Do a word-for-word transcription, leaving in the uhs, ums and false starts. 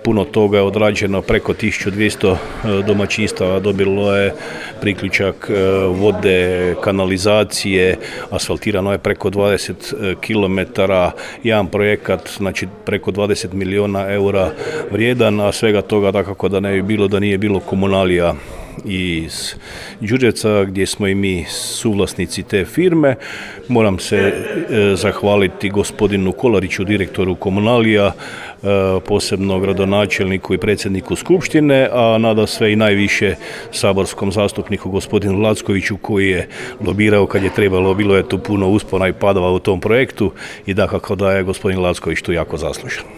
Puno toga je odrađeno, preko tisuću dvjesto domaćinstava dobilo je priključak vode, kanalizacije, asfaltirano je preko dvadeset kilometara, jedan projekat, znači preko dvadeset milijuna eura vrijedan, a svega toga dakako da ne bi bilo da nije bilo komunalija iz Đurđevca, gdje smo i mi suvlasnici te firme. Moram se e, zahvaliti gospodinu Kolariću, direktoru komunalija, e, posebno gradonačelniku i predsjedniku skupštine, a nada sve i najviše saborskom zastupniku gospodinu Lackoviću, koji je lobirao kad je trebalo. Bilo je tu puno uspona i padova u tom projektu i dakako da je gospodin Lacković tu jako zaslužan.